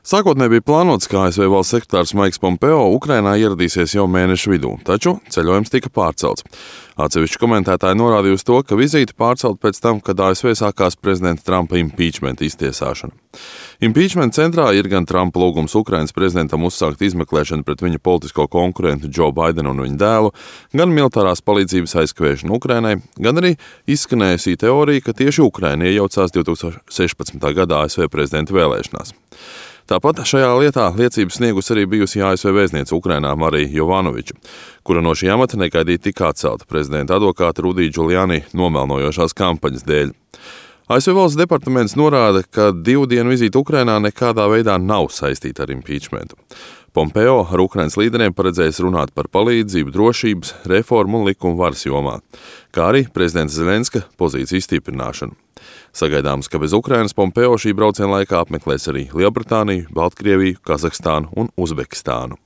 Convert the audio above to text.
Sākotnēji bija plānots, ka ASV valsts sekretārs Maiks Pompeo Ukrainā ieradīsies jau mēneša vidū, taču ceļojums tika pārcelts. Atsevišķi komentētāji norādīja uz to, ka vizīte pārcelta pēc tam, kad ASV sākās prezidenta Trumpa impeachment iztiesāšana. Impeachment centrā ir gan Trumpa lūgums Ukrainas prezidentam uzsākt izmeklēšanu pret viņa politisko konkurentu Joe Bidenu un viņa dēlu, gan militārās palīdzības aizkavēšanu Ukrainai, gan arī izskanējusī teorija, ka tieši Ukraina iejaucās 2016. gadā ASV prezidenta vēlēšanās. Tāpat šajā lietā liecības sniegus arī bijusi ASV vēstniece Ukrainā Marija Jovanoviča, kura no šī amata negaidīti tika atcelta prezidenta advokāta Rudija Giuliani nomelnojošās kampaņas dēļ. ASV valsts departaments norāda, ka 2 dienu vizīte Ukrainā nekādā veidā nav saistīta ar impeachmentu. Pompeo ar Ukrainas līderiem paredzējis runāt par palīdzību, drošības, reformu un likumu varas jomā, kā arī prezidenta Zelenska pozīciju stiprināšanu. Sagaidāms, ka bez Ukrainas Pompeo šī brauciena laikā apmeklēs arī Lielbritāniju, Baltkrieviju, Kazahstānu un Uzbekistānu.